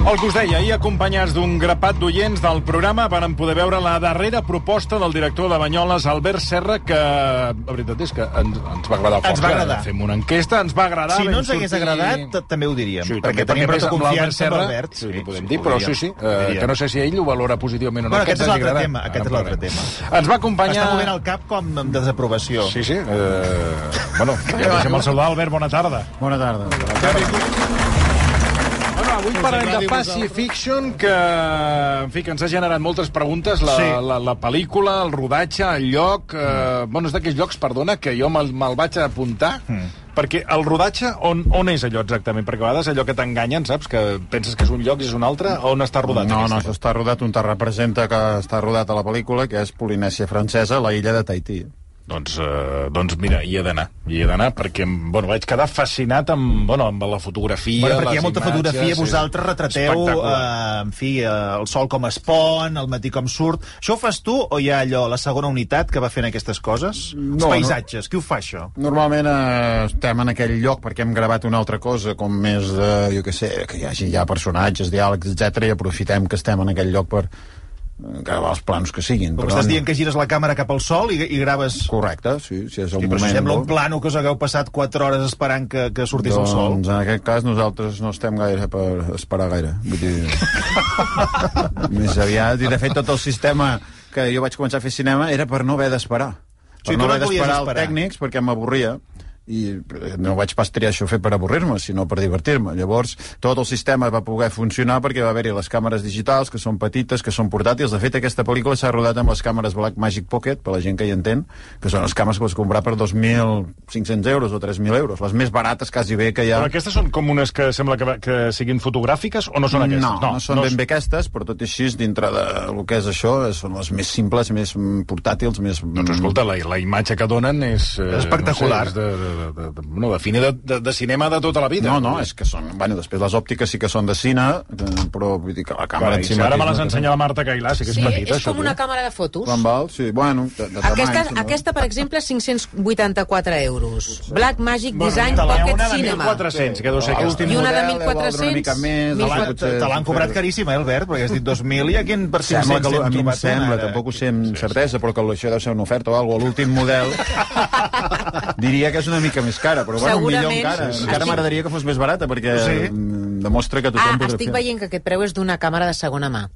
El que us deia, ahir acompanyats d'un grapat d'oients del programa van poder veure la darrera proposta del director de Banyoles, Albert Serra, que la veritat és que ens va agradar força. Fem una enquesta, ens va agradar. Si no ens hagués agradat, també ho diríem. Sí, perquè tenim prou confiança en l'Albert. Sí, ho podem dir, però sí, que no sé si ell ho valora positivament o no. Aquest és l'altre tema. Ens va acompanyar... Està movent el cap com amb desaprovació. Sí. Bueno, ja deixem el saludar, Albert, bona tarda. Bona tarda. Avui parlem de Pacifiction, que ens ha generat moltes preguntes, la pel·lícula, el rodatge, el lloc... Bueno, és d'aquells llocs, perdona, que jo me'l vaig apuntar, perquè el rodatge, on és allò exactament? Perquè a vegades allò que t'enganyen, saps? Que penses que és un lloc i és un altre, on està rodat? No, això està rodat, on te representa que està rodat a la pel·lícula, que és Polinèsia Francesa, la illa de Tahití. Doncs mira, hi he d'anar perquè, bueno, vaig quedar fascinat amb la fotografia, perquè hi ha molta imatges, fotografia, vosaltres retrateu, en fi, el sol com es pon, el matí com surt. Això ho fas tu o hi ha allò, la segona unitat que va fent aquestes coses? Els paisatges, qui ho fa, això? Normalment estem en aquell lloc perquè hem gravat una altra cosa, com més de, jo què sé, que hi hagi ja personatges, diàlegs, etc i aprofitem que estem en aquell lloc per gravar els plans que siguin. Però estàs dient que gires la càmera cap al sol i graves... Correcte, sí, si és el moment... Però sembla un plano que us hagueu passat 4 hores esperant que sortís el sol. Doncs en aquest cas nosaltres no estem gaire per esperar gaire. Vull dir... Més aviat, i de fet tot el sistema que jo vaig començar a fer cinema era per no haver d'esperar. Per no haver d'esperar els tècnics, perquè m'avorria. I no vaig pas triar això fer per avorrir-me, sinó per divertir-me. Llavors, tot el sistema va poder funcionar perquè va haver-hi les càmeres digitals, que són petites, que són portàtils. De fet, aquesta pel·lícula s'ha rodat amb les càmeres Blackmagic Pocket, per la gent que hi entén, que són les càmeres que pots comprar per 2.500 euros o 3.000 euros. Les més barates, quasi bé, que hi ha... Però aquestes són com unes que sembla que siguin fotogràfiques o no són aquestes? No són ben bé aquestes, però tot i així, dintre del que és això, són les més simples, més portàtils, més... Doncs escolta, la imatge que donen és... espectacular. De cine de cinema de tota la vida. No, és que són... Bueno, després les òptiques sí que són de cine, però vull dir que la càmera... Ara me les ensenya la Marta Cailà, sí que és petita. És com una càmera de fotos. Quan val? Sí, bueno, aquesta, per exemple, 584 euros. Blackmagic Design Pocket Cinema. 1.400, que deu ser aquesta. I una de 1.400. Te l'han cobrat caríssima, Albert, perquè has dit 2.000 i aquí per 500 a mi em sembla, tampoc ho sé amb certesa, però que això deu ser una oferta o alguna cosa. L'últim model diria que és una mica més cara, però bueno, millor encara. Encara m'agradaria que fos més barata, perquè demostra que tothom podrà fer. Estic veient que aquest preu és d'una càmera de segona mà.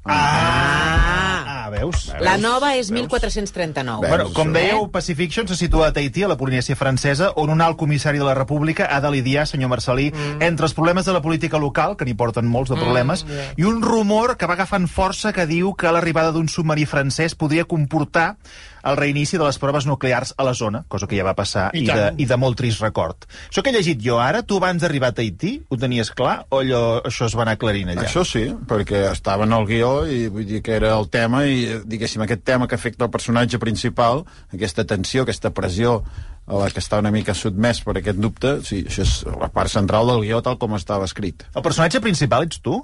Veus? La nova és 1.439. Bueno, com dèieu, Pacifiction se situa a Tahití, a la Polinèsia Francesa, on un alt comissari de la República ha de lidiar, senyor Marcelí, entre els problemes de la política local, que n'hi porten molts de problemes, i un rumor que va agafant força que diu que l'arribada d'un submarí francès podria comportar el reinici de les proves nuclears a la zona, cosa que ja va passar i de molt trist record. Això que he llegit jo ara, tu abans d'arribar a Tahití, ho tenies clar o això es va anar aclarint allà? Això sí, perquè estava en el guió i vull dir que era el tema i, diguéssim, aquest tema que afecta el personatge principal, aquesta tensió, aquesta pressió a la que està una mica sotmès per aquest dubte, sí, això és la part central del guió tal com estava escrit. El personatge principal ets tu?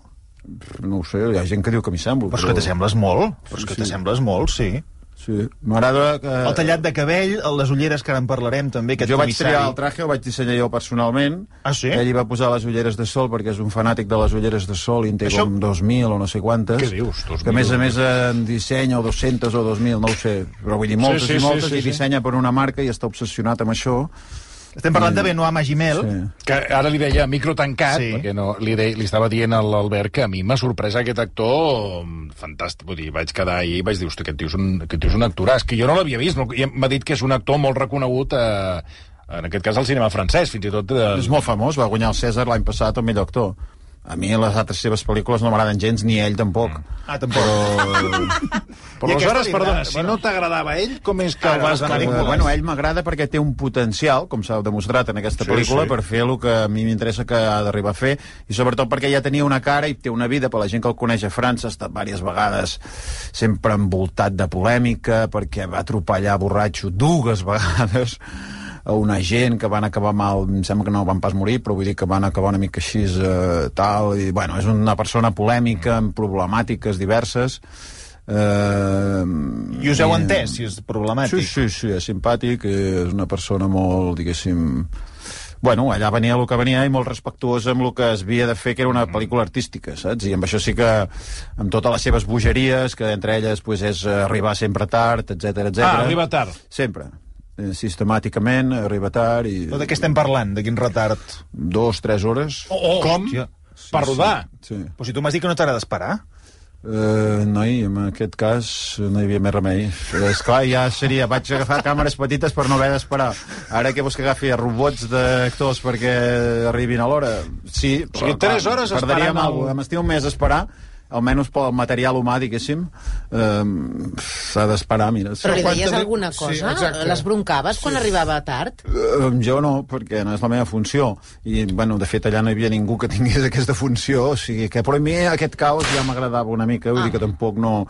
No ho sé, hi ha gent que diu que m'hi semblo. Però és que t'assembles molt, t'assembles molt, sí. Sí, m'agrada que... El tallat de cabell, les ulleres, que ara en parlarem també, aquest jo comissari. Vaig triar el traje, el vaig dissenyar jo personalment. Ah, sí? Ell hi va posar les ulleres de sol, perquè és un fanàtic de les ulleres de sol, i en té com 2.000 o no sé quantes. Què dius? 2.000? Que a més en dissenya o 200 o 2.000, no ho sé. Però vull dir, moltes i moltes, i dissenya per una marca i està obsessionat amb això. Estem parlant de Benoît Magimel. Sí. Que ara li deia micro tancat, perquè no, li estava dient a l'Albert que a mi m'ha sorprès aquest actor fantàstic. Vull dir, vaig quedar ahir i vaig dir, hosti, aquest tio és un actoràs, que jo no l'havia vist. M'ha dit que és un actor molt reconegut en aquest cas al cinema francès, fins i tot... És molt famós, va guanyar el César l'any passat el millor actor. A mi les altres seves pel·lícules no m'agraden gens, ni ell tampoc. Tampoc. Però aleshores, perdona, si no t'agradava ell, com és que el vas anar vinculant? Bueno, ell m'agrada perquè té un potencial, com s'ha demostrat en aquesta pel·lícula, per fer el que a mi m'interessa que ha d'arribar a fer, i sobretot perquè ja tenia una cara i té una vida, per la gent que el coneix a França, ha estat diverses vegades sempre envoltat de polèmica, perquè va atropellar borratxo 2 vegades a una gent que van acabar mal, em sembla que no van pas morir, però vull dir que van acabar una mica així tal, i bueno, és una persona polèmica, amb problemàtiques diverses. I us heu entès, si és problemàtic? Sí, és simpàtic, és una persona molt, diguéssim... Bueno, allà venia el que venia i molt respectuós amb el que es havia de fer, que era una pel·lícula artística, saps? I amb això sí que, amb totes les seves bogeries, que entre elles pues, és arribar sempre tard, etc. Arriba tard. Sempre. Sistemàticament, arriba tard i... Però de què estem parlant? De quin retard? 2-3 hores. Com? Hòstia. Per rodar? Sí. Però si tu m'has dit que no t'agrada esperar. Noi, en aquest cas no hi havia més remei. Esclar, ja seria... Vaig agafar càmeres petites per no haver d'esperar. Ara què vols que agafi robots d'actors perquè arribin a l'hora? Sí, o sigui, 3 hores esperant alguna cosa. M'estiu un mes a esperar, almenys pel material humà, diguéssim, s'ha d'esperar, mira. Però li deies alguna cosa? Sí, les broncaves quan arribava tard? Jo no, perquè no és la meva funció. I, bueno, de fet, allà no hi havia ningú que tingués aquesta funció, o sigui que, però a mi aquest caos ja m'agradava una mica, vull dir que tampoc no...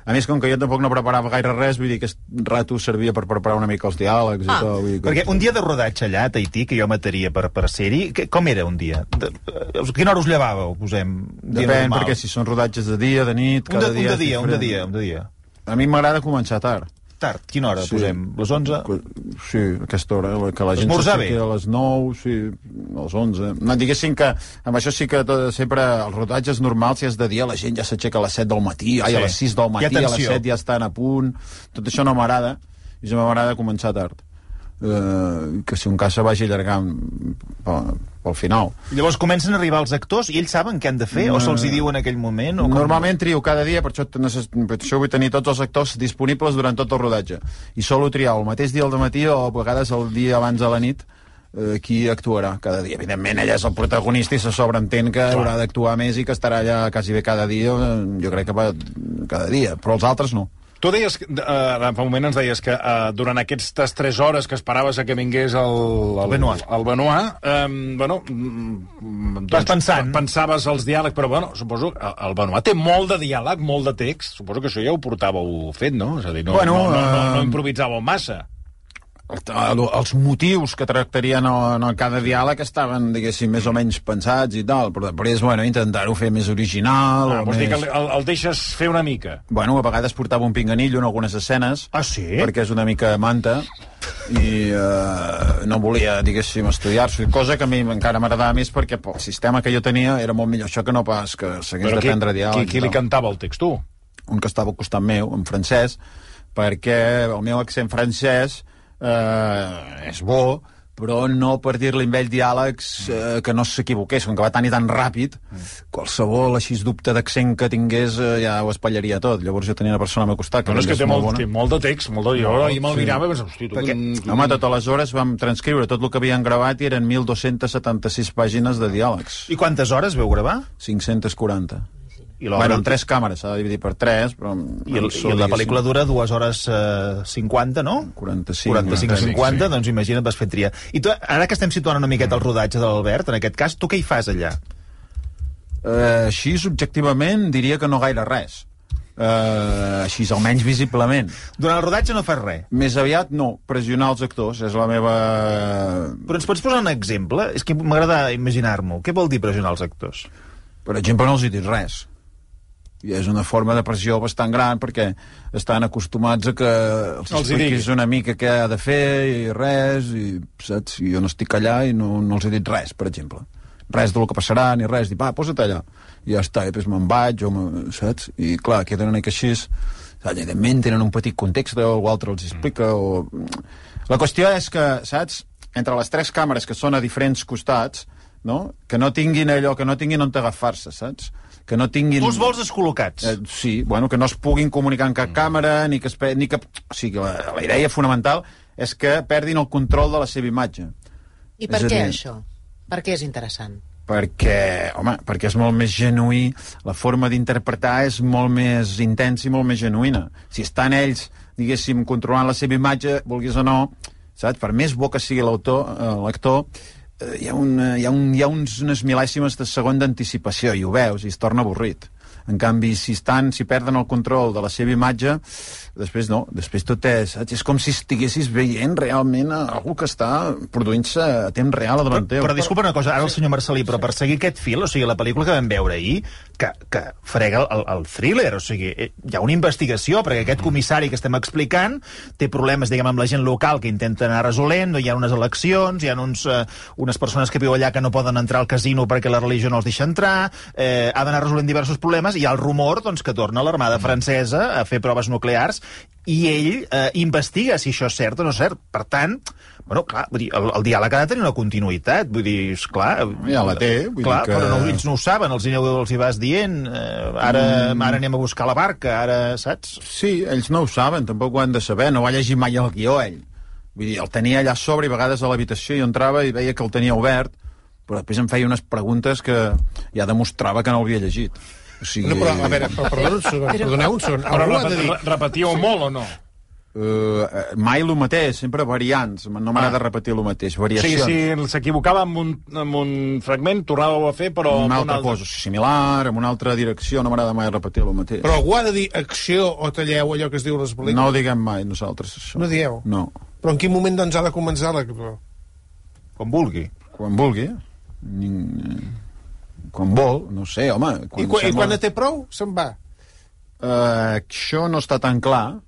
A més, com que jo tampoc no preparava gaire res, vull dir que aquest rato servia per preparar una mica els diàlegs i tot. Vull dir que... Perquè un dia de rodatge allà a Tahití, que jo mataria per ser-hi, com era un dia? A quina hora us llevàveu, posem? Depèn, perquè si són rodatges de dia, de nit, cada dia... Un de dia. A mi m'agrada començar tard. Tard? Quina hora, posem? Les 11? Sí, aquesta hora, que la gent s'aixequi a les 9, sí, a les 11. No, diguéssim que amb això sí que sempre els rodatges normals, si és de dia, la gent ja s'aixeca a les 7 del matí, a les 6 del matí, a les 7 ja estan a punt. Tot això no m'agrada, i ja m'agrada començar tard. Que si un cas se vagi allargant pel final. Llavors comencen a arribar els actors i ells saben què han de fer o se'ls hi diu en aquell moment? O Normalment trio cada dia, per això vull tenir tots els actors disponibles durant tot el rodatge, i solo triar el mateix dia al matí o a vegades el dia abans de la nit qui actuarà cada dia. Evidentment ella és el protagonista i se sobreentén que haurà d'actuar més i que estarà allà quasi bé cada dia, jo crec que va cada dia, però els altres no. Tu deies, fa un moment ens deies que durant aquestes 3 hores que esperaves a que vingués el Benoit, bueno, vas pensant. Pensaves els diàlegs, però bueno, suposo que el Benoit té molt de diàleg, molt de text, suposo que això ja ho portàveu fet, no? És a dir, no improvisàveu massa. Els motius que tractarien cada diàleg estaven, diguéssim, més o menys pensats i tal, però després, bueno, intentar-ho fer més original. Vols dir que el deixes fer una mica? Bueno, a vegades portava un pinganillo en algunes escenes. Ah, sí? Perquè és una mica manta i no volia, diguéssim, estudiar-s'ho, cosa que a mi encara m'agradava més perquè el sistema que jo tenia era molt millor això que no pas que s'hagués d'aprendre diàleg. Qui li cantava el text, tu? Un que estava al costat meu, en francès, perquè el meu accent francès és bo, però no per dir-li amb ell diàlegs que no s'equivoqués, com que va tan i tan ràpid, qualsevol així dubte d'accent que tingués ja ho espatlleria tot. Llavors jo tenia una persona al meu costat que és que té molt de text, molt de... I me'l mirava i pensava, hosti, tu... Home, totes les hores vam transcriure tot el que havien gravat i eren 1.276 pàgines de diàlegs. I quantes hores veu gravar? 540. Bueno, amb 3 càmeres, s'ha de dividir per 3, però... I la pel·lícula dura 2 hores 50, no? 45-50, doncs imagina't, vas fer tria. I tu, ara que estem situant una miqueta el rodatge de l'Albert, en aquest cas, tu què hi fas allà? Així, subjectivament, diria que no gaire res. Així, almenys visiblement. Durant el rodatge no fas res? Més aviat no, pressionar els actors, és la meva... Però ens pots posar un exemple? És que m'agrada imaginar-m'ho. Què vol dir pressionar els actors? Per exemple, no els hi dic res. I és una forma de pressió bastant gran perquè estan acostumats a que els expliquis una mica què ha de fer i res, i saps? I jo no estic allà i no els he dit res, per exemple. Res del que passarà, ni res. Dic, va, posa't allà. I ja està, i després me'n vaig, saps? I clar, queden una mica així. Evidentment tenen un petit context, o altre els explica, o... La qüestió és que, saps? Entre les 3 càmeres que són a diferents costats, no? Que no tinguin allò, que no tinguin on agafar-se, saps? Que no tinguin... Tu els vols descol·locats. Sí, bueno, que no es puguin comunicar en cap càmera, ni que... O sigui, la idea fonamental és que perdin el control de la seva imatge. I per què això? Per què és interessant? Perquè és molt més genuí, la forma d'interpretar és molt més intensa i molt més genuïna. Si estan ells, diguéssim, controlant la seva imatge, vulguis o no, saps? Per més bo que sigui l'actor, hi ha unes mil·lèsimes de segon d'anticipació i ho veus i es torna avorrit. En canvi, si perden el control de la seva imatge, després no, després tot és com si estiguessis veient realment algú que està produint-se a temps real a davant teu. Però disculpa una cosa, ara el senyor Marcelí, però per seguir aquest fil, o sigui, la pel·lícula que vam veure ahir, que frega el thriller, o sigui, hi ha una investigació, perquè aquest comissari que estem explicant té problemes, diguem, amb la gent local que intenta anar resolent, hi ha unes eleccions, hi ha unes persones que viuen allà que no poden entrar al casino perquè la religió no els deixa entrar, ha d'anar resolent diversos problemes, i hi ha el rumor doncs, que torna l'armada francesa a fer proves nuclears, i ell investiga si això és cert o no és cert. Per tant, bueno, clar, vull dir, el diàleg ha de tenir una continuïtat, vull dir, esclar... Ja la té, vull clar, dir que... però no, ells no ho saben, els hi vas dient, ara anem a buscar la barca, ara, saps? Sí, ells no ho saben, tampoc ho han de saber, no va llegir mai el guió, ell. Vull dir, el tenia allà a sobre i a vegades a l'habitació jo entrava i veia que el tenia obert, però després em feia unes preguntes que ja demostrava que no l'havia llegit. O sigui... No, però, a veure, perdoneu un segon. Però repetíeu molt o no? Mai el mateix, sempre variants. No m'agrada repetir el mateix, variacions. Sí, si s'equivocava amb un fragment, tornàveu a fer, però... Una altra cosa similar, en una altra direcció, no m'agrada mai repetir el mateix. Però algú ha de dir acció o talleu allò que es diu a les pel·lícules? No ho diguem mai, nosaltres, això. No dieu? No. Però en quin moment, doncs, ha de començar l'actor? Com vulgui. Quan vulgui. Quan vol, no sé, home... I quan té prou, se'n va? Això no està tan clar.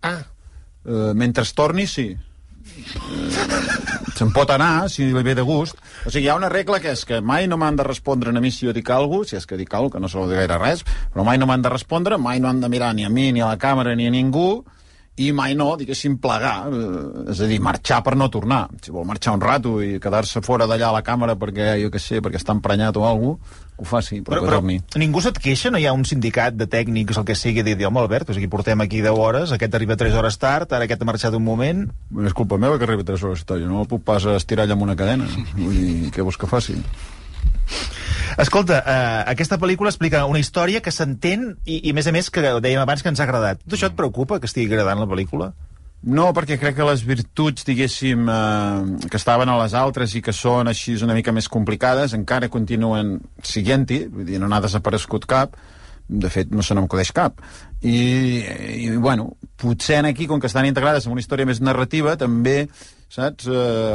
Mentre es torni, sí. Se'n pot anar, si li ve de gust. O sigui, hi ha una regla que és que mai no m'han de respondre a mi si jo dic alguna cosa, si és que dic alguna cosa, que no se vol dir gaire res, però mai no m'han de respondre, mai no han de mirar ni a mi, ni a la càmera, ni a ningú, i mai no, diguéssim, plegar, és a dir, marxar per no tornar. Si vol marxar un rato i quedar-se fora d'allà a la càmera perquè, jo què sé, perquè està emprenyat o alguna cosa, que ho faci, però ningú se't queixa? No hi ha un sindicat de tècnics, el que sigui, de dir, home, Albert, o sigui, portem aquí 10 hores, aquest arriba 3 hores tard, ara aquest ha marxat un moment... Bueno, és culpa meva que arribi 3 hores tard, jo no el puc pas estirar allà amb una cadena. Vull dir, què vols que faci? Escolta, aquesta pel·lícula explica una història que s'entén i a més, que dèiem abans que ens ha agradat. Tot això et preocupa, que estigui agradant la pel·lícula? No, perquè crec que les virtuts, diguéssim, que estaven a les altres i que són així una mica més complicades, encara continuen siguent-hi, vull dir, no n'ha desaparegut cap, de fet no se n'acudeix cap. I bueno, potser aquí, com que estan integrades en una història més narrativa, també, saps,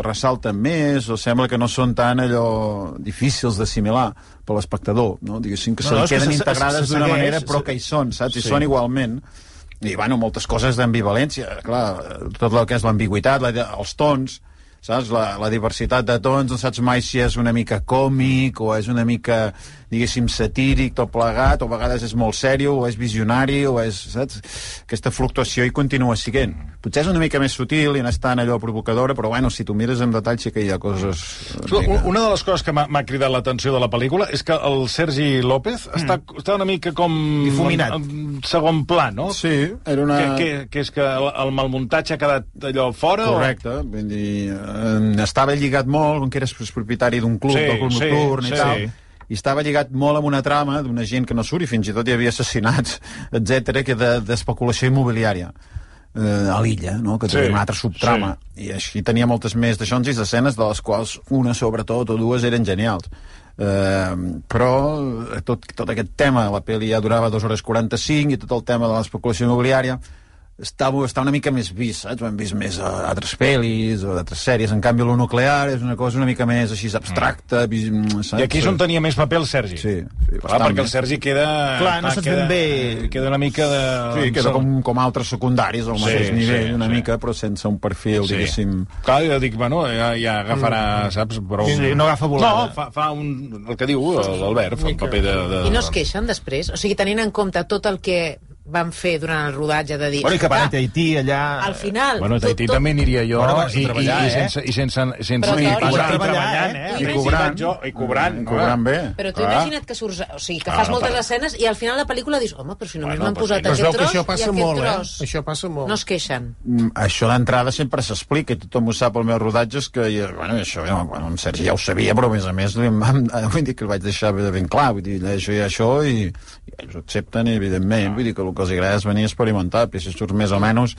ressalten més, o sembla que no són tan allò difícils d'assimilar per l'espectador, no? Diguéssim que se li queden integrades d'una manera, però que hi són, saps? Hi són igualment. I, bueno, moltes coses d'ambivalència, clar, tot el que és l'ambigüitat, els tons, saps? La diversitat de tons, no saps mai si és una mica còmic o és una mica, diguéssim, satíric, tot plegat, o a vegades és molt sèrio, o és visionari, o és, saps? Aquesta fluctuació hi continua siguent. Potser és una mica més sutil i no és tan allò provocadora, però, bueno, si tu mires en detall sí que hi ha coses... Una de les coses que m'ha cridat l'atenció de la pel·lícula és que el Sergi López està una mica com... difuminat. En segon pla, no? Sí, era una... Que és que el malmuntatge ha quedat allò fora? Correcte, vull dir, estava lligat molt, com que eres propietari d'un club, del club nocturn i tal, i estava lligat molt amb una trama d'una gent que no surt, i fins i tot hi havia assassinats, etc, que d'especulació immobiliària a l'illa, no? Que tenia una altra subtrama, i així tenia moltes més d'aixons i escenes, de les quals una sobretot o dues eren genials. Però tot aquest tema, la pel·li ja durava 2 hores 45, i tot el tema de l'especulació immobiliària està una mica més vist, saps? Ho hem vist més a altres pel·lis o d'altres sèries. En canvi, lo nuclear és una cosa una mica més així abstracta, saps? I aquí és on tenia més paper el Sergi. Sí, clar, perquè el Sergi queda... Clar, no saps ben bé... Queda una mica de... Sí, queda com altres secundaris al mateix nivell, una mica, però sense un perfil, diguéssim... Clar, jo dic, bueno, ja agafarà, saps? Però... Sí, no agafa volada. No, fa el que diu l'Albert, fa un paper de... I no es queixen després? O sigui, tenint en compte tot el que van fer durant el rodatge de dir... Bueno, i que van a Tahití, allà... Al final... Bueno, a Tahití també aniria jo, i sense cobrant bé. Però tu imagina't que surts... O sigui, que fas moltes escenes i al final de la pel·lícula dius, home, però si només m'han posat aquest tros i aquest tros. Això passa molt. No es queixen. Això d'entrada sempre s'explica, i tothom ho sap al meu rodatge, és que, bueno, això, en Sergi ja ho sabia, però a més vull dir que el vaig deixar ben clar, vull dir, això i això, i ells ho accepten, evidentment, vull dir que el el que els agrada és venir a experimentar, però si surts més o menys,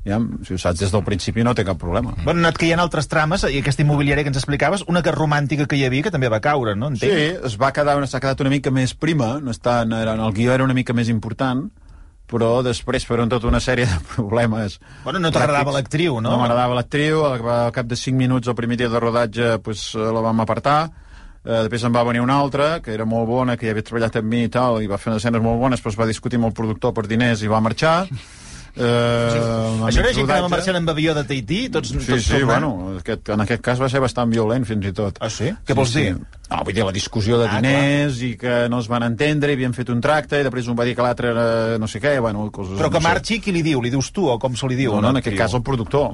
ja, si ho saps des del principi no té cap problema. Bueno, han anat caient altres trames, i aquesta immobiliària que ens explicaves, una que romàntica que hi havia, que també va caure, no? Entenc? Sí, s'ha quedat una mica més prima, el guió era una mica més important, però després, per tota una sèrie de problemes... Bueno, no t'agradava l'actriu, no? No m'agradava l'actriu, al cap de 5 minuts, el primer dia de rodatge, la vam apartar, després en va venir una altra, que era molt bona, que ja havia treballat amb mi i tal, i va fer unes escenes molt bones, però es va discutir amb el productor per diners i va marxar. Això era gent que anava marxant amb avió de Tahití? Sí, bueno, en aquest cas va ser bastant violent, fins i tot. Ah, sí? Què vols dir? No, vull dir, la discussió de diners i que no es van entendre, i havien fet un tracte, i després un va dir que l'altre era no sé què, bueno, coses... Però que marxi, qui li diu? Li dius tu, o com se li diu? No, en aquest cas el productor.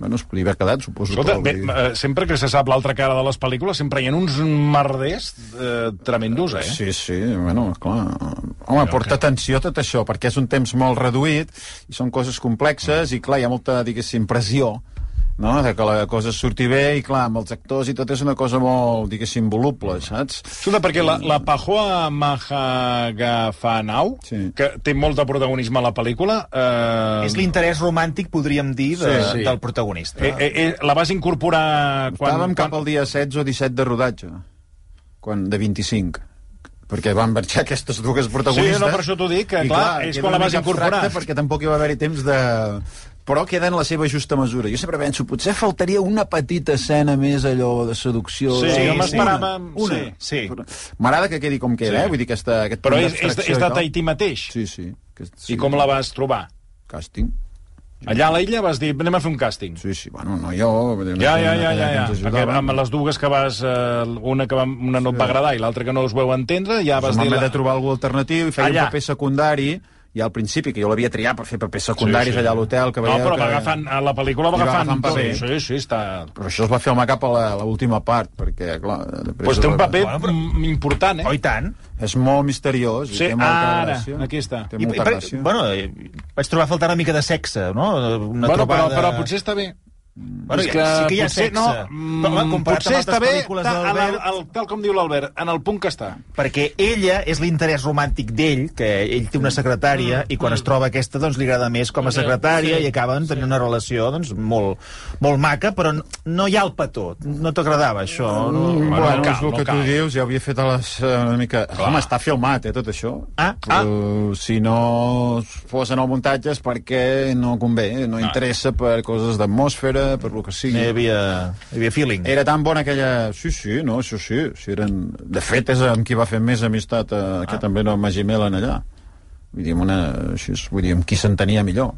Bueno, es podia haver quedat, suposo. Escolta, sempre que se sap l'altra cara de les pel·lícules, sempre hi ha uns merders tremendos, eh? Sí, bueno, clar. Home, porta atenció a tot això, perquè és un temps molt reduït, i són coses complexes, i clar, hi ha molta, diguéssim, pressió, no?, de que la cosa surti bé, i clar, amb els actors i tot és una cosa molt, diguéssim, voluble, saps? Escolta, perquè la Pahoa Mahagafanau, que té molt de protagonisme a la pel·lícula... És l'interès romàntic, podríem dir, del protagonista. La vas incorporar... Estàvem cap al dia 16 o 17 de rodatge, de 25, perquè van marxar aquestes dues protagonistes. Sí, no, per això t'ho dic, que clar, és quan la vas incorporar. Perquè tampoc hi va haver-hi temps de... Però queda en la seva justa mesura. Jo sempre penso, potser faltaria una petita escena més, allò de seducció... Sí, jo m'esperava... Una. Sí. M'agrada que quedi com queda, vull dir, aquest però és de Tahití mateix? Sí. I com la vas trobar? Càsting. Allà a l'illa vas dir, anem a fer un càsting. Sí, bueno, no jo... Ja. Amb les dues que vas... Una no et va agradar i l'altra que no us veu entendre, ja vas dir... M'he de trobar algú alternatiu i feia un paper secundari, i al principi, que jo l'havia triat per fer papers secundaris allà a l'hotel... No, però a la pel·lícula va agafant tot. Sí, està... Però això es va filmar cap a l'última part, perquè, clar... Doncs té un paper important, eh? Oh, i tant. És molt misteriós. Sí, ara, aquí està. Té molta gràcia. Bueno, vaig trobar a faltar una mica de sexe, no? Però potser està bé. Bueno, sí que hi ha sexe. Potser està bé, tal com diu l'Albert, en el punt que està. Perquè ella és l'interès romàntic d'ell, que ell té una secretària, i quan es troba aquesta, doncs li agrada més com a secretària, i acaben tenint una relació doncs, molt maca, però no hi ha el petó. No t'agradava, això? Bueno, és el que tu dius, ja ho havia fet una mica... Home, està filmat, tot això. Si no fos en el muntatge és perquè no convé, no interessa per coses d'atmosfera, per lo que sigui. Hi havia feeling. Era tan bona aquella... Sí, no, això sí. De fet, és amb qui va fer més amistat que també no Magí Melen allà. Vull dir, amb qui s'entenia millor.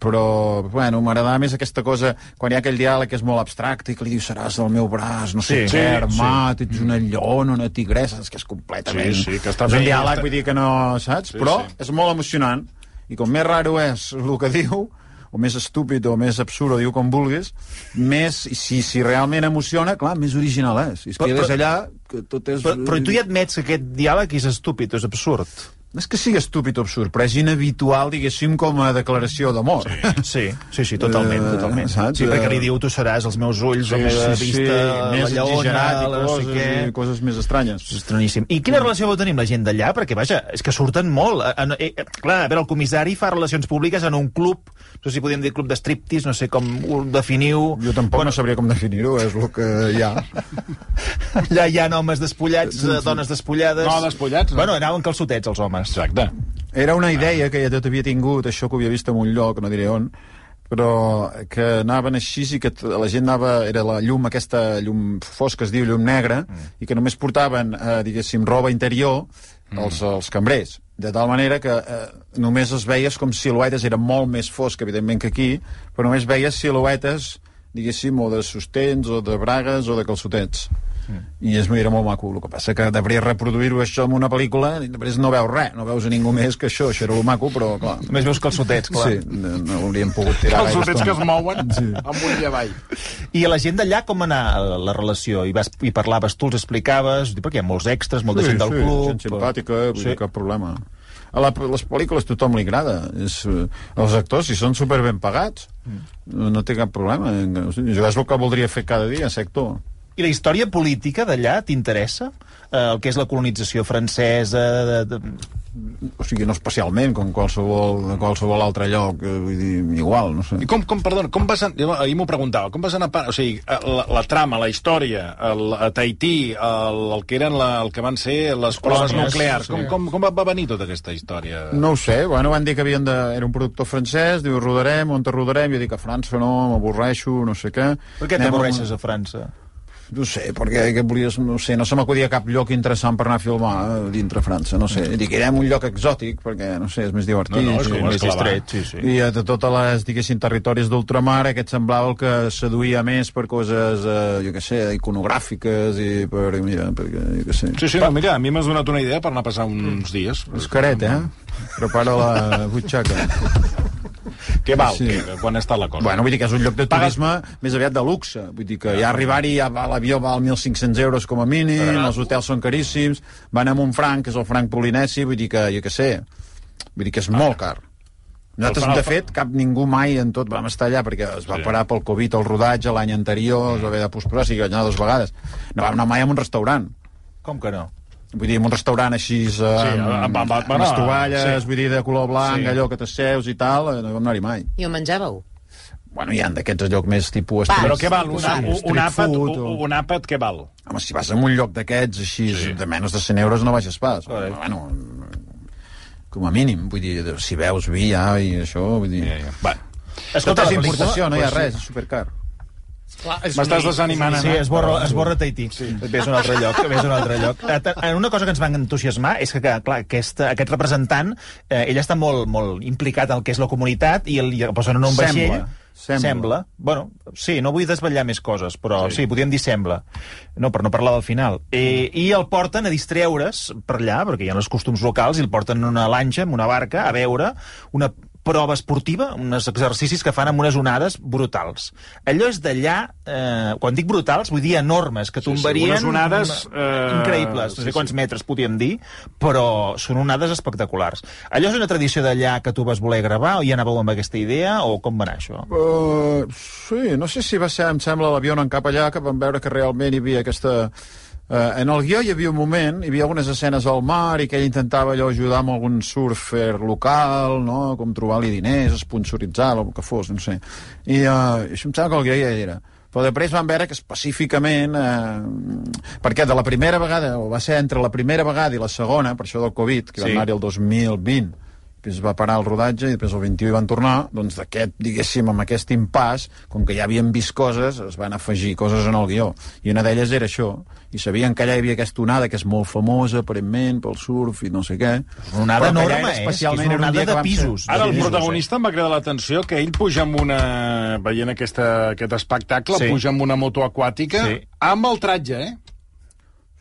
Però, bueno, m'agradava més aquesta cosa quan hi ha aquell diàleg que és molt abstracte i que li diu seràs del meu braç, no sé què, armat, ets una lleona, una tigressa, és que és completament... Sí, que està és un diàleg, vull dir que no, saps? Però és molt emocionant i com més raro és el que diu, o més estúpid o més absurd, o diu com vulguis, més, si realment emociona, clar, més original és. I és que és allà que tot és... Però tu ja admets que aquest diàleg és estúpid, és absurd. No és que sigui estúpid o absurd, però és inhabitual, diguéssim, com a declaració d'amor. Sí, totalment. Saps? Sí, perquè li diu, tu seràs els meus ulls, la meva vista, la lleona, no sé què... Coses més estranyes. És estraníssim. I quina relació vau tenir amb la gent d'allà? Perquè, vaja, és que surten molt. Clar, a veure, el comissari fa relacions públiques en un club, no sé si podíem dir club de striptease, no sé com ho definiu... Jo tampoc no sabria com definir-ho, és el que hi ha. Allà hi ha homes despullats, dones despullades... No, despullats, no. Bueno, anaven calçotets, els homes. Exacte. Era una idea que ja tot havia tingut, això que ho havia vist en un lloc, no diré on, però que anaven així i que la gent anava... Era la llum, aquesta llum fosca, es diu llum negra, i que només portaven, diguéssim, roba interior els cambrers. De tal manera que només es veies com siluetes, era molt més fosc, evidentment, que aquí, però només veies siluetes, diguéssim, o de sostens, o de bragues, o de calçotets. I era molt maco. El que passa que devries reproduir-ho això en una pel·lícula i després no veus res, no veus a ningú més que això era el maco, però clar. Només veus calçotets, clar. Sí, no hauríem pogut tirar calçotets que es mouen amunt i avall. I a la gent d'allà com anar la relació? I parlaves, tu els explicaves, perquè hi ha molts extras, molta gent del club... Gent simpàtica, vull dir, cap problema. A les pel·lícules tothom li agrada. Els actors, si són super ben pagats, no té cap problema. Jo és el que voldria fer cada dia, ser actor. I la història política d'allà t'interessa? El que és la colonització francesa... o sigui, no especialment, com qualsevol altre lloc, vull dir, igual, no sé. I perdona, com vas... Ahir m'ho preguntava, com vas anar... O sigui, la trama, la història, a Tahití, el que eren el que van ser les proves nuclears, com va venir tota aquesta història? No ho sé, bueno, van dir que era un productor francès, diu, rodarem, on te rodarem? Jo dic, a França no, m'avorreixo, no sé què. Per què t'avorreixes a França? No sé, perquè volies, no sé, no se m'acudia cap lloc interessant per anar a filmar dintre França, no sé. Dic, irem a un lloc exòtic, perquè, no sé, és més divertit. No, és com més distret, sí. I de totes les, diguéssim, territoris d'ultramar, aquest semblava el que seduïa més per coses, jo què sé, iconogràfiques i per, mira, perquè, jo què sé. Sí, no, mira, a mi m'has donat una idea per anar a passar uns dies. És caret, Prepara la butxaca. Què val? Sí. Quan està la cosa? Bueno, vull dir que és un lloc de turisme més aviat de luxe. Vull dir que ja arribar-hi, l'avió val 1.500 euros com a mínim, els hotels són caríssims, van amb un franc, que és el franc polinesi, vull dir que, jo què sé, vull dir que és molt car. Nosaltres, de fet, ningú mai en tot vam estar allà, perquè es va parar pel Covid el rodatge l'any anterior, es va haver de posposar, o sigui, vaig anar 2 vegades. No vam anar mai a un restaurant. Com que no? Vull dir, en un restaurant així amb les tovalles, vull dir, de color blanc, allò que t'asseus i tal, no vam anar-hi mai. I on menjàveu? Bueno, hi ha d'aquests llocs més tipus... Però què val? Un àpat què val? Home, si vas a un lloc d'aquests així, de menys de 100 euros no baixes pas. Bueno, com a mínim, vull dir, si veus vi ja i això, vull dir... Escolta, és importació, no hi ha res, és supercar. M'estàs desanimant, Sí, es borra Tahití. Ves a un altre lloc. Una cosa que ens va entusiasmar és que, clar, aquest representant, ell està molt implicat en el que és la comunitat i el posen en un vaixell... Sembla. Bueno, sí, no vull desvetllar més coses, però sí, podríem dir sembla. No, per no parlar del final. I el porten a distreure's per allà, perquè hi ha els costums locals, i el porten en una lanxa, en una barca, a veure una prova esportiva, uns exercicis que fan amb unes onades brutals. Allò és d'allà, quan dic brutals, vull dir enormes, que tombarien... Unes onades... increïbles, no sé quants metres podíem dir, però són onades espectaculars. Allò és una tradició d'allà que tu vas voler gravar, o ja anàveu amb aquesta idea, o com va anar això? Sí, no sé si va ser, em sembla, l'avió anant cap allà, que vam veure que realment hi havia aquesta... en el guió hi havia un moment, hi havia algunes escenes al mar i que ell intentava allò ajudar amb algun surfer local, no? Com trobar-li diners, esponsoritzar, el que fos, no sé. I això em sembla que el guió ja hi era. Però després van veure que específicament... perquè de la primera vegada, o va ser entre la primera vegada i la segona, per això del Covid, que van anar-hi el 2020, després va parar el rodatge i després el 21 hi van tornar, doncs d'aquest, diguéssim, amb aquest impàs, com que ja havien vist coses, es van afegir coses en el guió. I una d'elles era això. I sabien que allà hi havia aquesta onada, que és molt famosa, aparentment, pel surf i no sé què. Una onada enorme, especialment una onada de pisos. Ara el protagonista em va cridar l'atenció que ell puja amb una... veient aquest espectacle, puja amb una moto aquàtica, amb el tratge,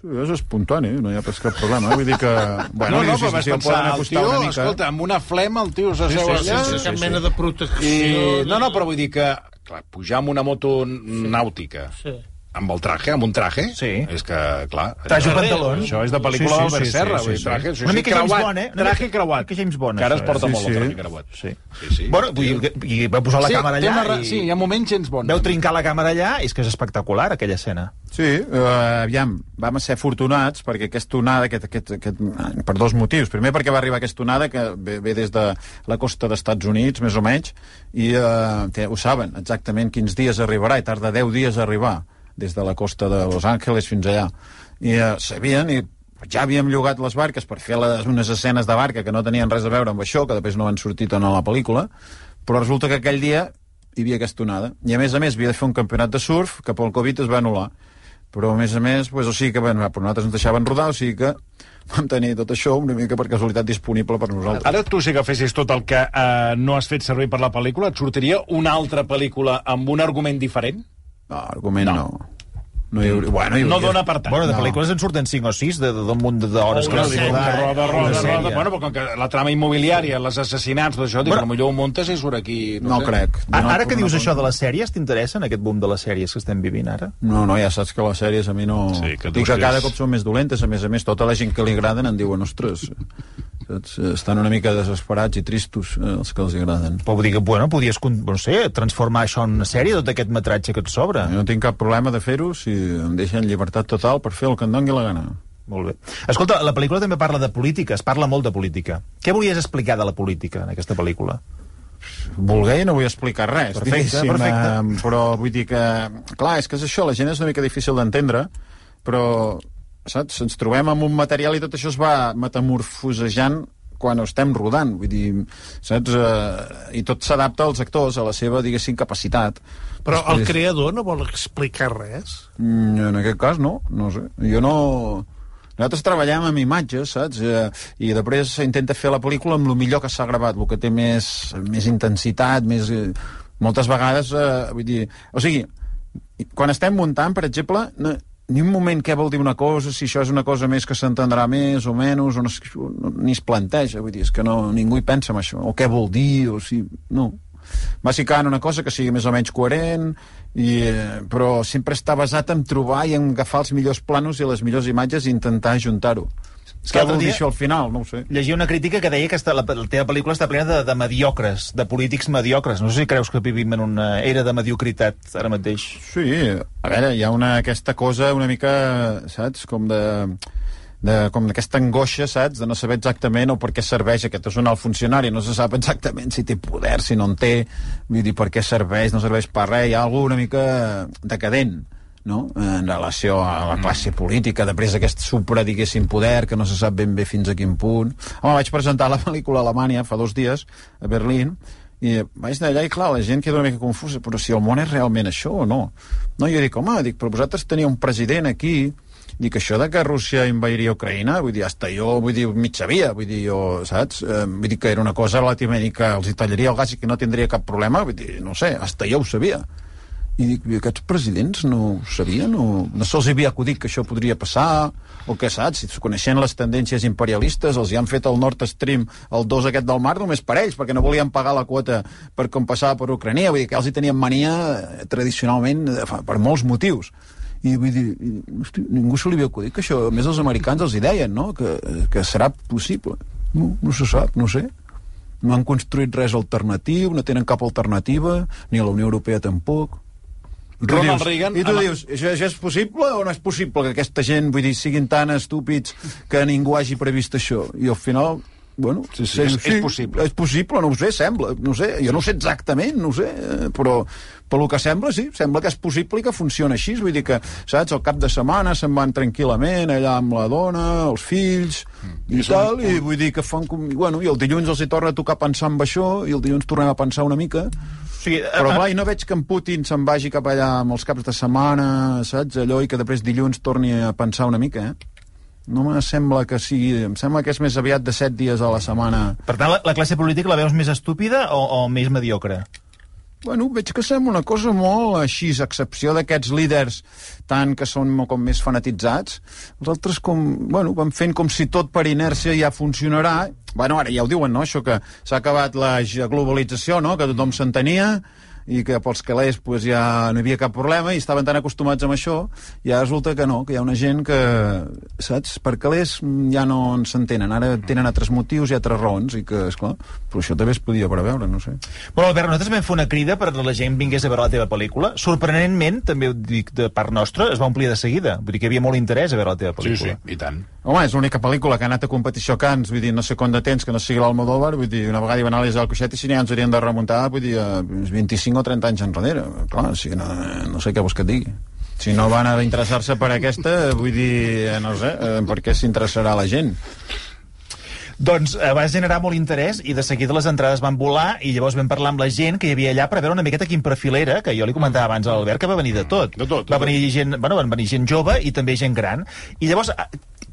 Sí, és espontani, no hi ha pas cap problema. Vull dir que... Bueno, no, però vas pensar, el tio, escolta, amb una flema el tio s'asseu allà... Cap mena de protecció... No, però vull dir que, clar, pujar amb una moto nàutica... Amb el traje, amb un traje, és que, clar... Traje o pantalons. Això és de pel·lícula d'Albert Serra. Una mica James Bond, Traje creuat. Una mica James Bond. Que ara es porta molt el traje creuat. Sí. Bueno, i va posar la càmera allà i... Sí, hi ha moments James Bond. Veu trincar la càmera allà, és que és espectacular, aquella escena. Sí, aviam, vam ser afortunats perquè aquesta onada, per 2 motius. Primer perquè va arribar aquesta onada que ve des de la costa d'Estats Units, més o menys, i ho saben exactament quins dies arribarà, i tarda 10 dies a arribar des de la costa de Los Angeles fins allà. I sabien, i ja havíem llogat les barques per fer unes escenes de barca que no tenien res a veure amb això, que després no han sortit en la pel·lícula, però resulta que aquell dia hi havia aquesta onada. I a més havia de fer un campionat de surf que pel Covid es va anul·lar. Però a més, pues, o sigui que per nosaltres ens deixaven rodar, o sigui que vam tenir tot això una mica per casualitat disponible per nosaltres. Ara tu, si agafessis tot el que no has fet servir per la pel·lícula, et sortiria una altra pel·lícula amb un argument diferent? No, argument no. No dona per tant. Bueno, de pel·lícules en surten 5 o 6 d'un munt d'hores. Roda. Bueno, però com que la trama immobiliària, els assassinats, tot això, potser ho muntes i surt aquí... No crec. Ara que dius això de les sèries, t'interessen aquest boom de les sèries que estem vivint ara? No, ja saps que les sèries a mi no... Dic que cada cop són més dolentes, a més, tota la gent que li agraden en diuen, ostres, estan una mica desesperats i tristos els que els agraden. Però vull dir que, podies, no sé, transformar això en una sèrie, tot aquest metratge que et sobra. Jo no tinc cap problema de fer-ho si em deixen llibertat total per fer el que em doni la gana. Molt bé. Escolta, la pel·lícula també parla de política, es parla molt de política. Què volies explicar de la política en aquesta pel·lícula? Voler no vull explicar res, perfecte. Però vull dir que... Clar, és que és això, la gent és una mica difícil d'entendre, però, saps, ens trobem amb un material i tot això es va metamorfosejant quan ho estem rodant, vull dir, saps? I tot s'adapta als actors, a la seva, diguéssim, capacitat. Però el creador no vol explicar res? En aquest cas, no sé. Jo no... Nosaltres treballem amb imatges, saps? I després s'intenta fer la pel·lícula amb el millor que s'ha gravat, el que té més intensitat, més... Moltes vegades, vull dir... O sigui, quan estem muntant, per exemple... Ni un moment què vol dir una cosa, si això és una cosa més que s'entendrà més o menys, ni es planteja, vull dir, és que ningú hi pensa en això, o què vol dir, o si... No. Va ficant una cosa que sigui més o menys coherent, però sempre està basat en trobar i en agafar els millors planos i les millors imatges i intentar ajuntar-ho. Què vol dir això al final? No ho sé. Llegia una crítica que deia que la teva pel·lícula està plena de mediocres, de polítics mediocres. No sé si creus que vivim en una era de mediocritat ara mateix. Sí, a veure, hi ha aquesta cosa una mica, saps, com d'aquesta angoixa, saps, de no saber exactament o per què serveix aquest és un alt funcionari, no se sap exactament si té poder, si no en té, vull dir, per què serveix, no serveix per res, hi ha alguna mica decadent, no? En relació a la classe política, després d'aquest supra, diguéssim, poder, que no se sap ben bé fins a quin punt. Home, vaig presentar la pel·lícula a Alemanya fa 2 dies, a Berlín, i vaig d'allà i, clar, la gent queda una mica confusa, però si el món és realment això o no? No, jo dic, home, però vosaltres teniu un president aquí, dic, això de que Rússia invadiria Ucraïna, vull dir, hasta jo, vull dir, mig sabia, vull dir, jo, saps? Vull dir que era una cosa relativament que els hi tallaria el gas i que no tindria cap problema, vull dir, no sé, hasta jo ho sabia. I dic, aquests presidents no ho sabien, no se'ls havia acudit que això podria passar, o què saps, si coneixent les tendències imperialistes, els hi han fet el Nord Stream, el 2 aquest del mar, només per ells, perquè no volien pagar la quota per com passava per Ucrania, vull dir que els hi tenien mania tradicionalment per molts motius. I vull dir, ningú se li havia acudit que això, a més els americans els hi deien, no?, que serà possible. No se sap, no sé. No han construït res alternatiu, no tenen cap alternativa, ni a la Unió Europea tampoc. Ronald Reagan... I tu dius, això és possible o no és possible que aquesta gent, vull dir, siguin tan estúpids que ningú hagi previst això? I al final, bueno... Sí, és possible. És possible, no ho sé, sembla. No sé, jo no ho sé exactament, no ho sé, però pel que sembla, sí, sembla que és possible i que funciona així. Vull dir que, saps, al cap de setmana se'n van tranquil·lament allà amb la dona, els fills i tal, i vull dir que fan... Bueno, i el dilluns els hi torna a tocar pensar en això i el dilluns tornem a pensar una mica... Sí, però clar, i no veig que en Putin se'n vagi cap allà amb els caps de setmana, saps, allò, i que després dilluns torni a pensar una mica, No me sembla que sigui... Em sembla que és més aviat de 7 dies a la setmana. Per tant, la classe política la veus més estúpida o més mediocre? Bueno, veig que sembla una cosa molt així, a excepció d'aquests líders tant que són com més fanatitzats. Els altres van fent com si tot per inèrcia ja funcionarà. Bueno, ara ja ho diuen, no?, això que s'ha acabat la globalització, no?, que tothom s'entenia i que pels calés pues, ja no hi havia cap problema i estaven tan acostumats amb això i ara resulta que no, que hi ha una gent que, saps, per calés ja no s'entenen, ara tenen altres motius i altres raons i que, esclar, però això també es podia preveure, no sé. Bueno, Albert, nosaltres vam fer una crida perquè la gent vingués a veure la teva pel·lícula. Sorprenentment, també ho dic de part nostra, es va omplir de seguida. Vull dir que hi havia molt interès a veure la teva pel·lícula. Sí, i tant. Home, és l'única pel·lícula que ha anat a competició a Cannes, vull dir, no sé quant de temps que no sigui l'Almodóvar, vull dir, una vegada hi va anar a l'Isabel Coixet i si n'hi ens haurien de remuntar, vull dir, 25 o 30 anys enrere. Clar, o sigui, no sé què vols que et digui. Si no van a interessar-se per aquesta, vull dir, no sé, per què s'interessarà la gent? Doncs va generar molt interès i de seguida les entrades van volar i llavors vam parlar amb la gent que hi havia allà per veure una miqueta quin perfil era, que jo li comentava abans a l'Albert que va venir de tot. Van venir gent jove i també gent gran. I llavors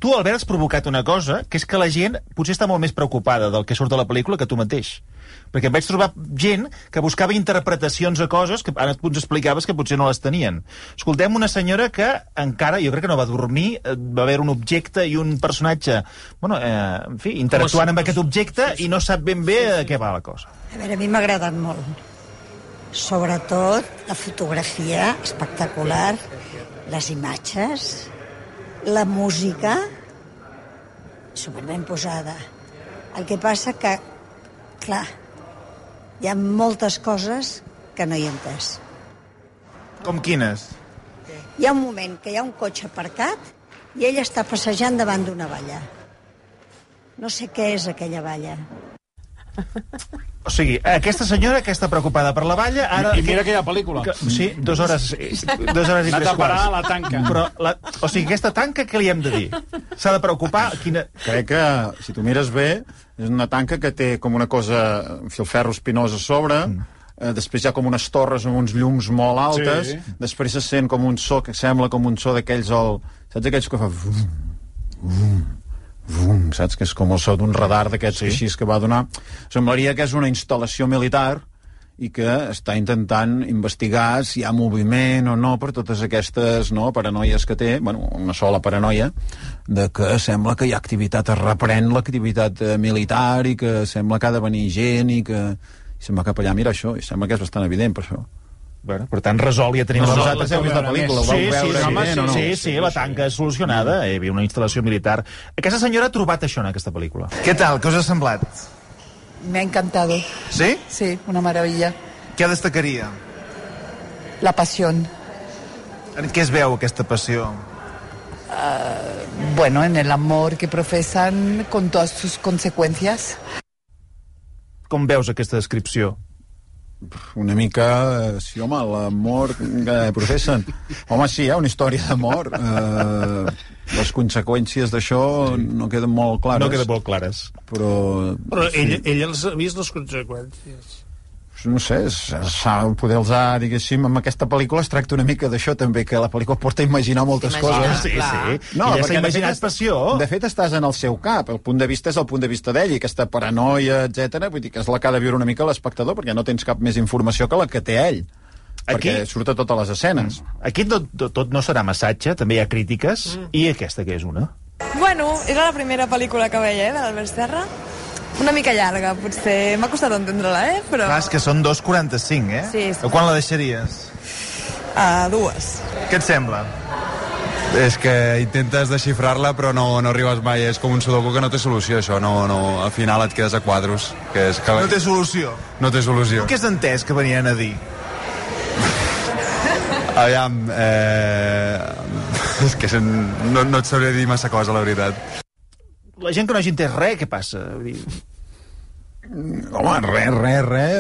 tu, Albert, has provocat una cosa, que és que la gent potser està molt més preocupada del que surt de la pel·lícula que tu mateix. Perquè em vaig trobar gent que buscava interpretacions a coses que ara tu ens explicaves que potser no les tenien. Escoltem una senyora que encara, jo crec que no va dormir, va haver un objecte i un personatge, en fi, interactuant amb aquest objecte i no sap ben bé de què va la cosa. A veure, a mi m'ha agradat molt. Sobretot la fotografia espectacular, les imatges, la música, superben posada. El que passa que, clar, hi ha moltes coses que no hi he entès. Com quines? Hi ha un moment que hi ha un cotxe aparcat i ell està passejant davant d'una valla. No sé què és aquella valla. O sigui, aquesta senyora que està preocupada per la valla... Ara... I mira aquella pel·lícula. Sí, 2 hores i 3 quarts. Anat a parar a la tanca. Però, o sigui, aquesta tanca, què li hem de dir? S'ha de preocupar? Crec que, si tu mires bé, és una tanca que té com una cosa, un filferro espinós a sobre, després hi ha com unes torres amb uns llums molt altes, després se sent com un so que sembla com un so d'aquells... Saps aquells que fa... saps? Que és com el so d'un radar d'aquests així que va donar. Semblaria que és una instal·lació militar i que està intentant investigar si hi ha moviment o no per totes aquestes paranoies que té, una sola paranoia, de que sembla que hi ha activitat, es reprèn l'activitat militar i que sembla que ha de venir gent i que se'n va cap allà. Mira això, i sembla que és bastant evident per això. Bueno, per tant, resol, ja tenim... Vosaltres heu vist la pel·lícula, ho vau veure? Sí, la tanca és solucionada, hi havia una instal·lació militar. Aquesta senyora ha trobat això en aquesta pel·lícula. Què tal? Què us ha semblat? Me ha encantado. ¿Sí? Sí, una maravilla. Què destacaria? La pasión. En què es veu aquesta passió? Bueno, en el amor que profesan con todas sus consecuencias. Com veus aquesta descripció? Una mica, sí, home, l'amor que professen. Home, sí, hi ha una història d'amor. Les conseqüències d'això no queden molt clares. No queden molt clares. Però ell els ha vist les conseqüències. No sé, poder-los, diguéssim, amb aquesta pel·lícula es tracta una mica d'això també, que la pel·lícula porta a imaginar moltes coses. Sí. No, ja s'ha imaginat passió. De fet, estàs en el seu cap. El punt de vista és el punt de vista d'ell, i aquesta paranoia, etc. Vull dir que és la que ha de viure una mica l'espectador, perquè no tens cap més informació que la que té ell. Perquè surt a totes les escenes. Aquí tot no serà massatge, també hi ha crítiques, i aquesta que és una? Bueno, era la primera pel·lícula que veia, de l'Albert Serra. Una mica llarga, potser m'ha costat entendre-la, però... Clar, és que són 2:45, Sí. Quan la deixaries? A 2. Què et sembla? És que intentes desxifrar-la però no arribes mai, és com un sudoku que no té solució, això, al final et quedes a quadros. No té solució? No té solució. Què has entès que venien a dir? Aviam, és que no et sabré dir massa cosa, la veritat. La gent que no hagi entès res, què passa? Home, res.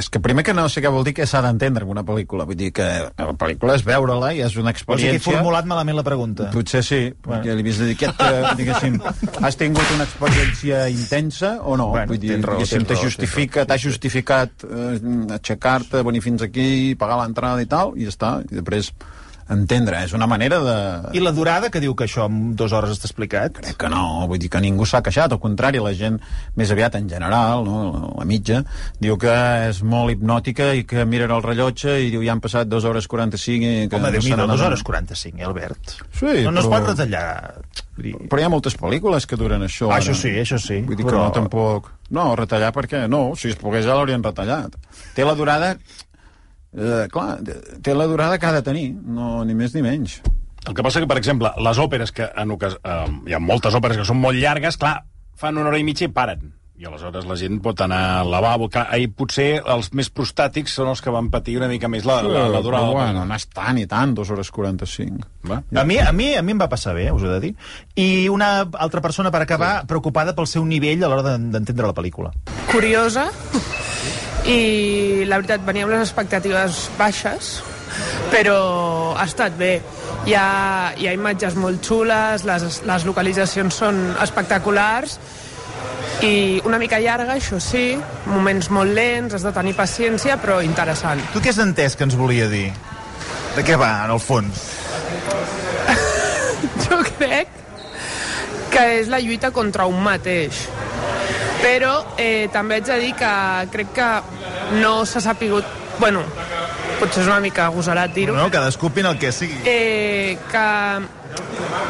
És que primer que no sé què vol dir que s'ha d'entendre en una pel·lícula. Vull dir que la pel·lícula és veure-la i és una experiència... O sigui, he formulat malament la pregunta. Potser sí, perquè li havies de dir diguéssim, has tingut una experiència intensa o no? Vull dir, diguéssim, t'ha justificat aixecar-te, venir fins aquí, pagar l'entrada i tal, i ja està. I després... entendre, és una manera de... I la durada, que diu que això en 2 hores està explicat? Crec que no, vull dir que ningú s'ha queixat, al contrari, la gent més aviat en general, la mitja, diu que és molt hipnòtica i que miren el rellotge i diu ja han passat 2 hores 45 i que... Home, Déu-n'hi-do, 2 hores 45, Albert? Sí, no es pot retallar. Però hi ha moltes pel·lícules que duren això. Això sí. Vull dir que no, tampoc... No, retallar perquè no, si es pogués ja l'haurien retallat. Té la durada... clar, té la durada que ha de tenir, no, ni més ni menys. El que passa que, per exemple, les òperes, que hi ha moltes òperes que són molt llargues, clar, fan 1 hora i mitja i paren. I aleshores la gent pot anar al lavabo. Ahir potser els més prostàtics són els que van patir una mica més la durada. Però bueno, no és tant i tant, 2 hores 45. Va? A mi em va passar bé, us ho he de dir. I una altra persona, per acabar, preocupada pel seu nivell a l'hora d'entendre la pel·lícula. Curiosa, i la veritat venia amb les expectatives baixes, però ha estat bé. Hi ha imatges molt xules, les localitzacions són espectaculars, i una mica llarga, això sí, moments molt lents, has de tenir paciència, però interessant. Tu què has entès que ens volia dir? De què va, en el fons? Jo crec que és la lluita contra un mateix. Però també haig de dir que crec que no s'ha sapigut... Bueno, potser és una mica agosarat dir-ho. No, cadascú opina el que sigui. Que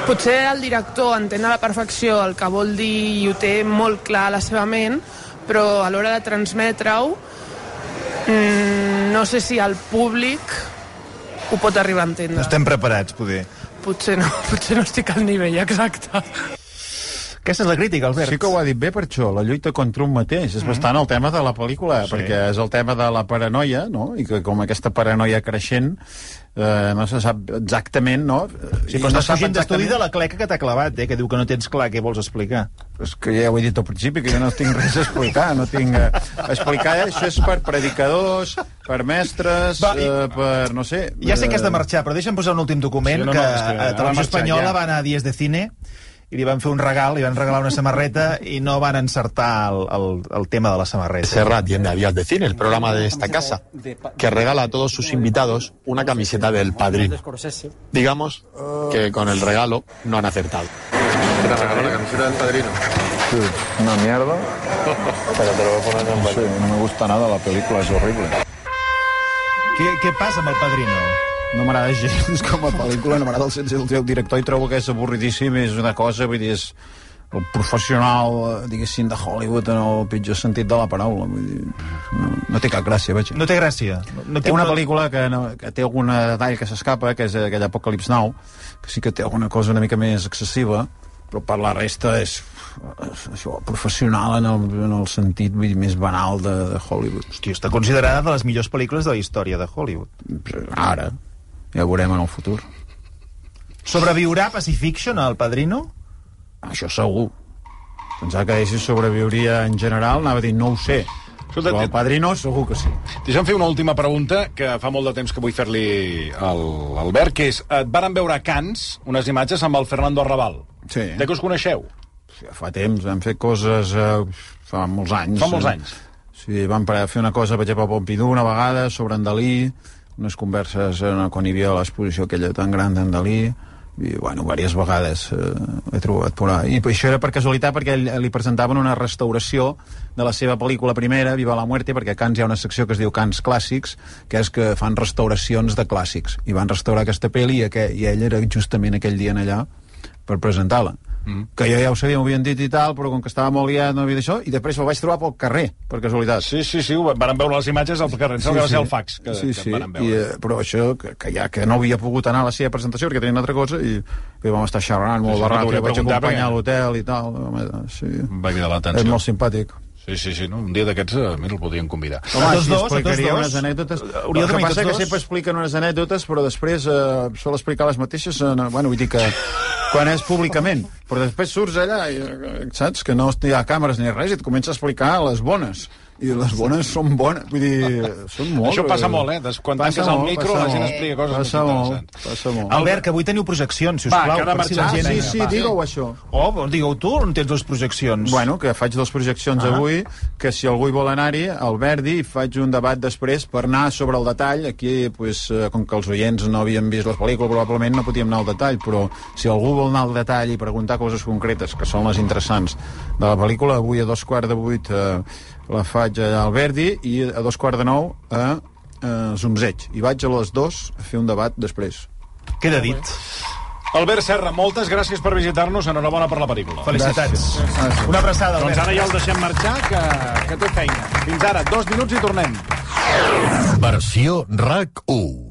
potser el director entén a la perfecció el que vol dir i ho té molt clar a la seva ment, però a l'hora de transmetre-ho no sé si el públic ho pot arribar a entendre. No estem preparats, poder. Potser no estic al nivell exacte. Aquesta és la crítica, Albert. Sí que ho ha dit bé per això, la lluita contra un mateix. És bastant el tema de la pel·lícula, perquè és el tema de la paranoia, no? I que com aquesta paranoia creixent no se sap exactament, no? Sí, però estàs fugint d'estudi de la cleca que t'ha clavat, que diu que no tens clar què vols explicar. És que ja ho he dit al principi, que jo no tinc res a explicar, no tinc... explicar això és per predicadors, per mestres, per... no sé... Ja sé que has de marxar, però deixa'm posar un últim document, que a Televisió Espanyola va anar a Dies de Cine i li van fer un regal, li van regalar una samarreta i no van encertar el tema de la samarreta. Serrat viene a Días de Cine, el programa de esta casa, que regala a todos sus invitados una camiseta del Padrino. Digamos que con el regalo no han acertado. ¿Qué te regaló la camiseta del Padrino? Sí, una mierda. Pero te lo voy a poner en Sí, no me gusta nada, la película es horrible. Què passa amb el Padrino? No m'agrada gens com a pel·lícula, no m'agrada el sense del teu director i trobo que és avorridíssim, és una cosa, vull dir, és el professional, diguéssim, de Hollywood en el pitjor sentit de la paraula. Vull dir, no té cap gràcia, vaja. No té gràcia? Té una pel·lícula que té algun detall que s'escapa, que és aquell Apocalypse Now, que sí que té alguna cosa una mica més excessiva, però per la resta és això, professional en el sentit, vull dir, més banal de Hollywood. Hòstia, està considerada de les millors pel·lícules de la història de Hollywood. Ara, ja ho veurem en el futur. Sobreviurà Pacifiction, al Padrino? Això segur. Pensava que si sobreviuria en general, anava a dir, no ho sé. Però el Padrino segur que sí. Deixa'm fer una última pregunta, que fa molt de temps que vull fer-li al Albert, que és, et varen veure a Cannes unes imatges amb el Fernando Arrabal. Sí. De què us coneixeu? Ja fa temps, vam fer coses fa molts anys. Fa molts anys? Sí, vam fer una cosa, per exemple, a Pompidou una vegada, sobre en Dalí, unes converses quan hi havia l'exposició aquella tan gran d'en Dalí, i, bueno, diverses vegades he trobat por ahí. I això era per casualitat, perquè li presentaven una restauració de la seva pel·lícula primera, Viva la Muerte, perquè a Cannes hi ha una secció que es diu Cannes Clàssics, que és que fan restauracions de clàssics, i van restaurar aquesta pel·li i ell era justament aquell dia allà per presentar-la. Que jo ja ho sabia, m'ho havien dit i tal, però com que estava molt liat no havia d'això, i després el vaig trobar pel carrer, per casualitat. Sí, van veure les imatges al carrer, que va ser el fax que van veure. Però això, que no havia pogut anar a la seva presentació perquè tenia una altra cosa, i vam estar xerrant molt barrat, i vaig acompanyar a l'hotel i tal. Va cridar l'atenció. És molt simpàtic. Sí, no? Un dia d'aquests, mira, el podríem convidar. Home, si explicaria unes anècdotes... El que passa que sempre expliquen unes anècdotes, però després sol explicar les mateixes, bueno, vull dir que quan és públicament, però després surts allà i saps que no hi ha càmeres ni res i et comença a explicar les bones. I les bones són bones, vull dir, són molt... Això passa molt, Quan tanques el micro la gent explica coses molt interessants. Passa molt. Albert, que avui teniu projeccions, sisplau. Va, que ha de marxar. Sí, digue-ho això. Digue-ho tu, on tens dues projeccions? Bueno, que faig dues projeccions avui, que si algú hi vol anar-hi, al Verdi, faig un debat després per anar sobre el detall. Aquí, pues, com que els oients no havien vist la pel·lícula, probablement no podíem anar al detall, però si algú vol anar al detall i preguntar coses concretes, que són les interessants de la pel·lícula, avui a 7:15 la faig allà al Verdi i a 8:45 a Zumzeig. I vaig a les 2 a fer un debat després. Queda dit. Albert Serra, moltes gràcies per visitar-nos. Enhorabona per la pel·lícula. Felicitats. Una abraçada, Albert. Doncs ara ja el deixem marxar, que té feina. Fins ara, 2 minuts i tornem. Versió RAC 1.